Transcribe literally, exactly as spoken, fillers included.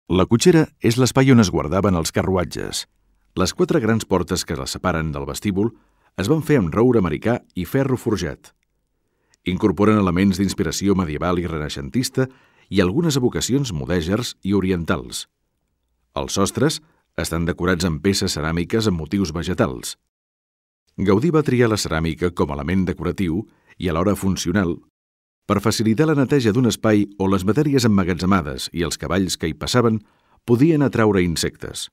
La cotxera és l'espai on es guardaven els carruatges. Les quatre grans portes que les separen del vestíbul es van fer amb roure americà i ferro forjat. Incorporen elements d'inspiració medieval i renaixentista i algunes evocacions mudèjars i orientals. Els sostres estan decorats amb peces ceràmiques amb motius vegetals. Gaudí va triar la ceràmica com a element decoratiu i alhora funcional per facilitar la neteja d'un espai on les matèries emmagatzemades i els cavalls que hi passaven podien atraure insectes.